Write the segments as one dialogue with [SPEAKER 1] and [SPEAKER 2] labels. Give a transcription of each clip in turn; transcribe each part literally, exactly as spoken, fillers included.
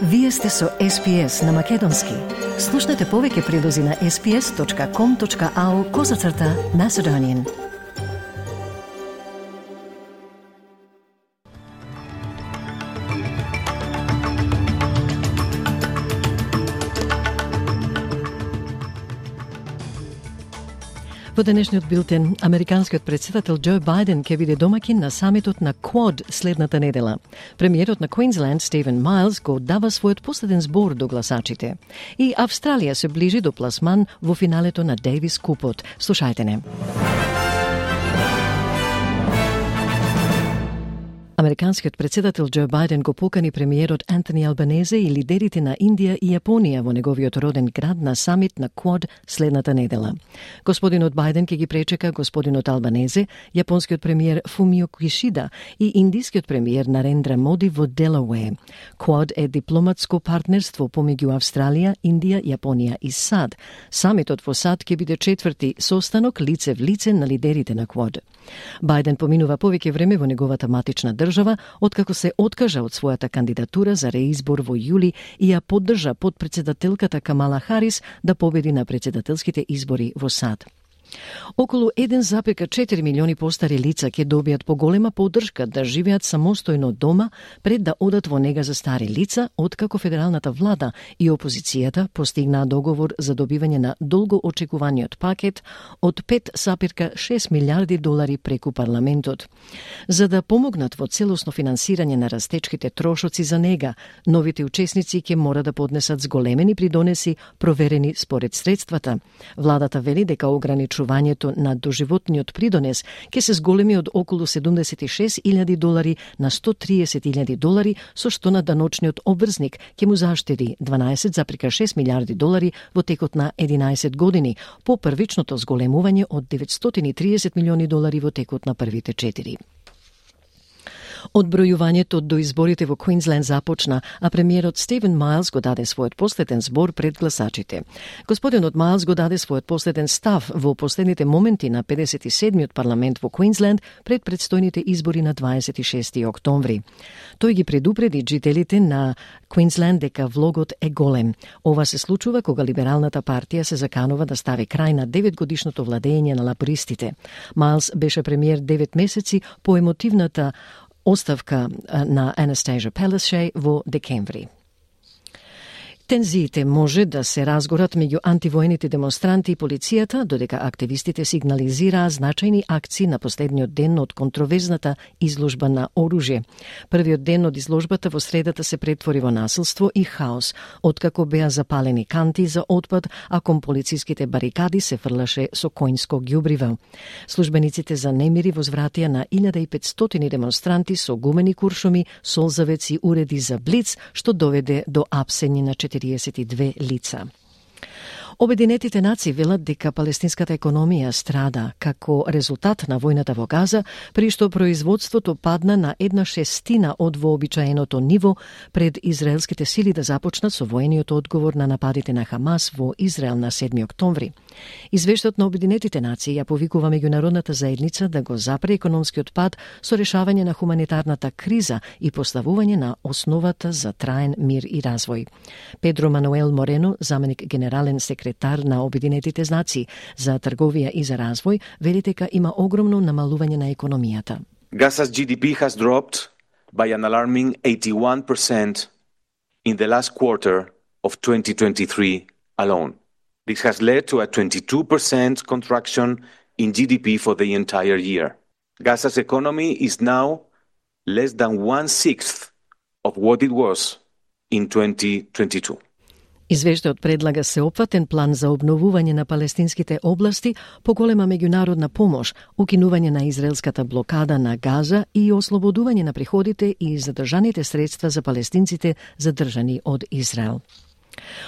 [SPEAKER 1] Вие сте со Ес Пи Ес на Македонски. Слушнете повеќе прилози на ес пи ес точка ком точка ау козацрта Macedonian. Во денешниот билтен, американскиот председател Џо Бајден ќе биде домакин на самитот на Квад следната недела. Премиерот на Квинсленд Стивен Майлс го дава својот последен збор до гласачите. И Австралија се ближи до пласман во финалето на Дейвис Купот. Слушајте не. Американскиот председател Џо Бајден го покани премиерот Антони Албанезе и лидерите на Индија и Јапонија во неговиот роден град на самит на Квад следната недела. Господинот Бајден ќе ги пречека господинот Албанезе, јапонскиот премиер Фумио Кишида и индискиот премиер Нарендра Моди во Делауер. Квад е дипломатско партнерство помеѓу Австралија, Индија, Јапонија и САД. Самитот во САД ќе биде четврти состанок лице в лице на лидерите на Квад. Бајден поминува повеќе време во неговата матична држава, откако се откажа од својата кандидатура за реизбор во јули и ја поддржа подпредседателката Камала Харис да победи на председателските избори во САД. Околу еден запир четири милиони постари лица ќе добијат поголема поддршка да живеат самостојно дома пред да одат во нега за стари лица, откако федералната влада и опозицијата постигнаа договор за добивање на долго очекуваниот пакет од пет запир шест милиарди долари преку парламентот. За да помогнат во целосно финансирање на растечките трошоци за нега, новите учесници ќе мора да поднесат зголемени придонеси проверени според средствата. Владата вели дека ограничувањето на доживотниот придонес ќе се зголеми од околу седумдесет и шест илјади долари на сто триесет илјади долари, со што на даночниот обврзник ќе му заштеди дванаесет запир шест милиарди долари во текот на единаесет години, по првичното зголемување од деветстотини и триесет милиони долари во текот на првите четири. Одбројувањето до изборите во Квинсленд започна, а премиерот Стивен Майлс го даде својот последен збор пред гласачите. Господинот Майлс го даде својот последен став во последните моменти на педесет и седмиот парламент во Квинсленд пред предстојните избори на дваесет и шести октомври. Тој ги предупреди жителите на Квинсленд дека влогот е голем. Ова се случува кога либералната партија се заканува да стави крај на деветгодишното владење на лабористите. Майлс беше премиер девет месеци по емотивната оставка на Анастасија Пелешеј во декември. Тензиите може да се разгорат меѓу антивоените демонстранти и полицијата, додека активистите сигнализираа значајни акции на последниот ден од контроверзната изложба на оружје. Првиот ден од изложбата во средата се претвори во насилство и хаос, откако беа запалени канти за отпад, а кон полициските барикади се фрлаше со коњско ѓубриво. Службениците за немири возвратија на илјада и петстотини демонстранти со гумени куршуми, солзавеци и уреди за блиц, што доведе до апсење на четириесет и две лица. Обединетите нации велат дека палестинската економија страда како резултат на војната во Газа, при што производството падна на една шестина од вообичаеното ниво пред израелските сили да започнат со воениот одговор на нападите на Хамас во Израел на седми октомври. Извештајот на Обединетите нации ја повикува меѓународната заедница да го запре економскиот пад со решавање на хуманитарната криза и поставување на основата за траен мир и развој. Педро Мануел Морено, заменик генерален секретар на Обединетите нации за трговија и за развој, вели дека има огромно намалување на економијата.
[SPEAKER 2] Gaza's G D P has dropped by an alarming eighty-one percent in the last quarter of twenty twenty-three alone. This has led to a twenty-two percent contraction in G D P for the entire year. Gaza's economy is now less than one-sixth of what it was in twenty twenty-two.
[SPEAKER 1] Извештајот предлага сеопфатен план за обновување на палестинските области, поголема меѓународна помош, укинување на израелската блокада на Газа и ослободување на приходите и задржаните средства за палестинците задржани од Израел.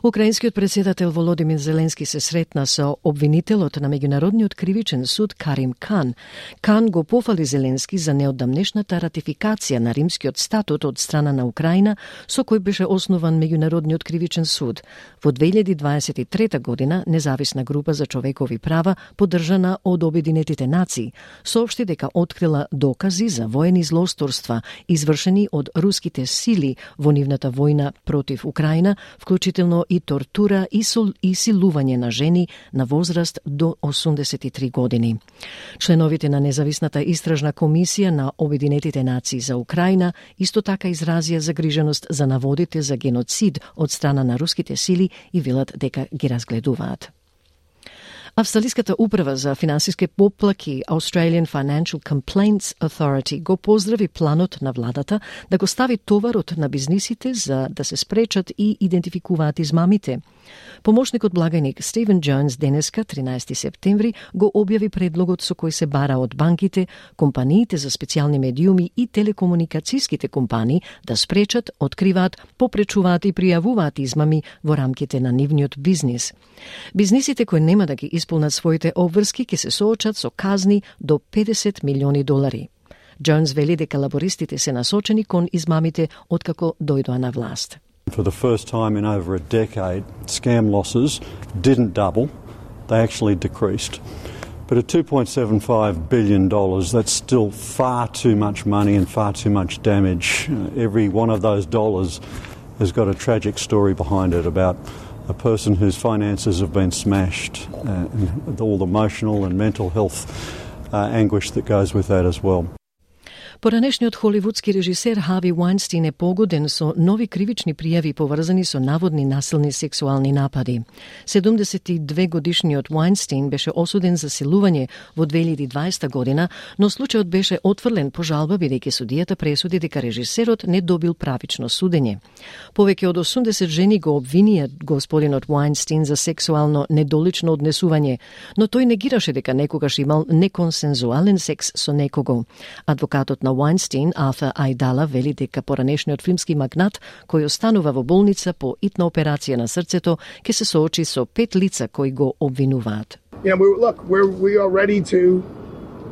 [SPEAKER 1] Украинскиот председател Володимир Зеленски се сретна со обвинителот на Меѓународниот кривичен суд Карим Кан. Кан го пофали Зеленски за неодамнешната ратификација на Римскиот статут од страна на Украина, со кој беше основан Меѓународниот кривичен суд. Во две илјади дваесет и трета година независна група за човекови права, поддржана од Обединетите нации, соопшти дека открила докази за воени злосторства извршени од руските сили во нивната војна против Украина, вклучително и тортура и, сол, и силување на жени на возраст до осумдесет и три години. Членовите на независната истражна комисија на Обединетите нации за Украина исто така изразија загриженост за наводите за геноцид од страна на руските сили и велат дека ги разгледуваат. Австралиската управа за финансиски поплаки Australian Financial Complaints Authority го поздрави планот на владата да го стави товарот на бизнисите за да се спречат и идентификуваат измамите. Помошникот благајник Стивен Джонс денеска, тринаесети септември, го објави предлогот со кој се бара од банките, компаниите за специјални медиуми и телекомуникацијските компании да спречат, откриваат, попречуваат и пријавуваат измами во рамките на нивниот бизнис. Бизнисите кои нема да ги исполнат своите обврски ќе се соочат со казни до педесет милиони долари. Джонс вели дека лабористите се насочени кон измамите откако дојдоа на власт.
[SPEAKER 3] For the first time in over a decade, scam losses didn't double, they actually decreased. But at two point seven five billion dollars, that's still far too much money and far too much damage. Uh, every one of those dollars has got a tragic story behind it about a person whose finances have been smashed, uh, and all the emotional and mental health uh, anguish that goes with that as well.
[SPEAKER 1] Поранешниот холивудски режисер Хави Вајнстин е погоден со нови кривични пријави поврзани со наводни насилни сексуални напади. седумдесет и две годишниот Вајнстин беше осуден за силување во две илјади и дваесета година, но случајот беше отфрлен по жалба бидејќи судијата пресуди дека режисерот не добил правично судење. Повеќе од осумдесет жени го обвинија господинот Вајнстин за сексуално недолично однесување, но тој негираше дека некогаш имал неконсензуален секс со некого. Адвокатот на Вајнстин, Арфур Ајдала, вели дека поранешниот филмски магнат, кој останува во болница по итна операција на срцето, ќе се соочи со пет лица кои го обвинуваат.
[SPEAKER 4] Yeah, we, look, we're, we are ready to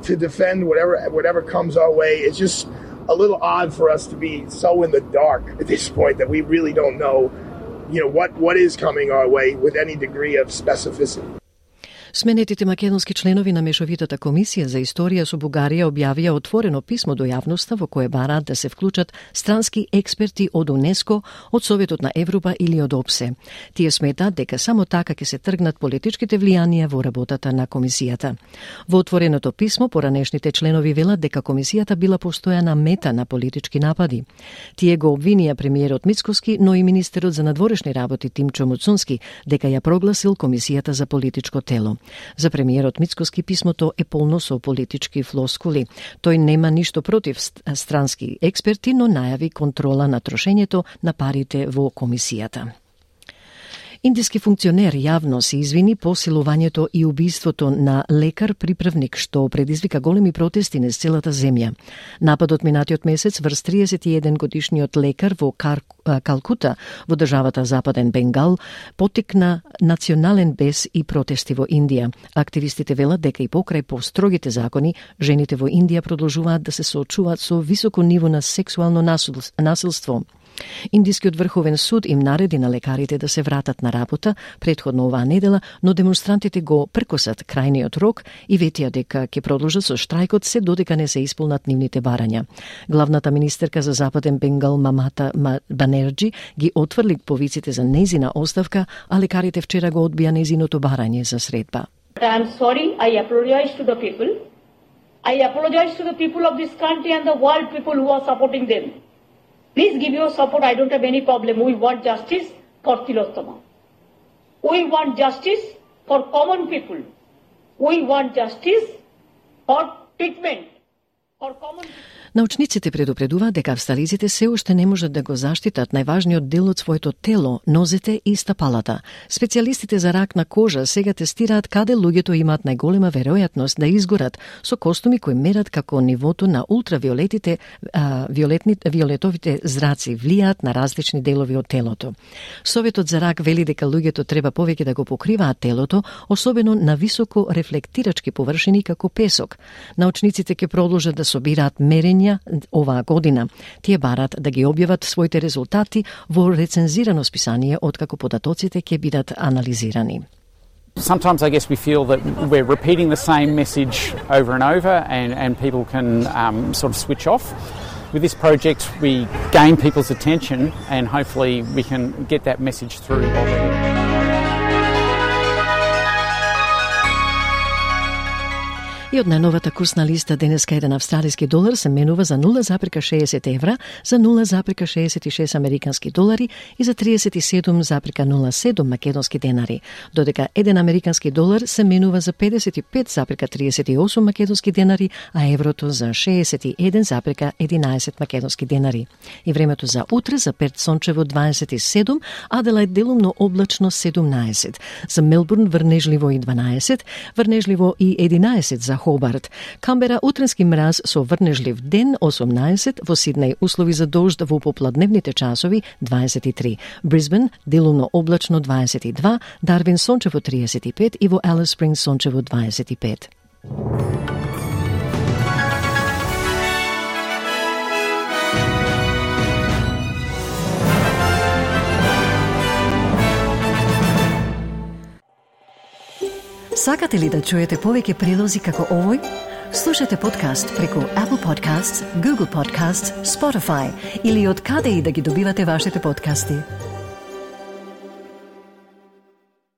[SPEAKER 4] to defend whatever whatever comes our way. It's just a little odd for us to be so in the dark at this point that we really don't know, you know, what what is coming our way with any degree of specificity.
[SPEAKER 1] Сменетите македонски членови на Мешовитата комисија за историја со Бугарија објавија отворено писмо до јавноста во кое бараат да се вклучат странски експерти од УНЕСКО, од Советот на Европа или од ОПСЕ. Тие сметаат дека само така ќе се тргнат политичките влијанија во работата на комисијата. Во отвореното писмо поранешните членови велат дека комисијата била постојана мета на политички напади. Тие го обвинија премиерот Мицкоски, но и министерот за надворешни работи Тимчо Муцунски дека ја прогласил комисијата за политичко тело. За премиерот Мицкоски писмото е полно со политички флоскули. Тој нема ништо против странски експерти, но најави контрола на трошењето на парите во комисијата. Индиски функционер јавно се извини по силувањето и убиството на лекар-приправник што предизвика големи протести низ целата земја. Нападот минатиот месец врз триесет и еден годишниот лекар во Кар... Калкута во државата Западен Бенгал поттикна национален бес и протести во Индија. Активистите велат дека и покрај построгите закони, жените во Индија продолжуваат да се соочуваат со високо ниво на сексуално насилство. Индискиот врховен суд им нареди на лекарите да се вратат на работа претходно оваа недела, но демонстрантите го прекосат крајниот рок и ветија дека ќе продолжат со штрајкот се додека не се исполнат нивните барања. Главната министерка за Западен Бенгал Мамата Банерджи ги отфрли повиците за незина оставка, а лекарите вчера го одбија незиното барање за средба.
[SPEAKER 5] I am sorry, I apologize to the people. I apologize to the people of this country and the world people who are supporting them. Please give your support. I don't have any problem. We want justice for Tilottama. We want justice for common people. We want justice for treatment for common people.
[SPEAKER 1] Научниците предупредуваат дека австралиците се уште не можат да го заштитат најважниот дел од своето тело, нозете и стапалата. Специјалистите за рак на кожа сега тестираат каде луѓето имаат најголема веројатност да изгорат со костуми кои мерат како нивото на ултравиолетите, а, виолетни, виолетовите зраци влијаат на различни делови од телото. Советот за рак вели дека луѓето треба повеќе да го покриваат телото, особено на високо рефлектирачки површини како песок. Научниците ќе продолжат да собираат мерења оваа година. Тие барат да ги објават своите резултати во рецензирано списание откако податоците ќе бидат анализирани.
[SPEAKER 6] Sometimes I guess we feel that we're repeating the same message over and over and, and people can um, sort of switch off. With this project we gain people's attention and hopefully we can get that message through.
[SPEAKER 1] И од најновата курсна листа денеска еден австралиски долар се менува за нула запирка шеесет евра, за нула запирка шеесет и шест американски долари и за триесет и седум запирка нула седум македонски денари, додека еден американски долар се менува за педесет и пет запирка триесет и осум македонски денари, а еврото за шеесет и еден запирка единаесет македонски денари. И времето за утре за Перт сончево дваесет и седум, Аделаид делумно облачно седумнаесет, за Мелбурн врнежливо и дванаесет, врнежливо и единаесет за Хобарт. Камбера утренски мраз со врнежлив ден осумнаесет, во Сиднеј услови за дожд во попладневните часови дваесет и три. Брисбен делумно облачно дваесет и два, Дарвин сончево триесет и пет и во Алис Спрингс сончево дваесет и пет. Сакате ли да чуете повеќе прилози како овој? Слушате подкаст преку Apple Podcasts, Google Podcasts, Spotify или од каде и да ги добивате вашите подкасти.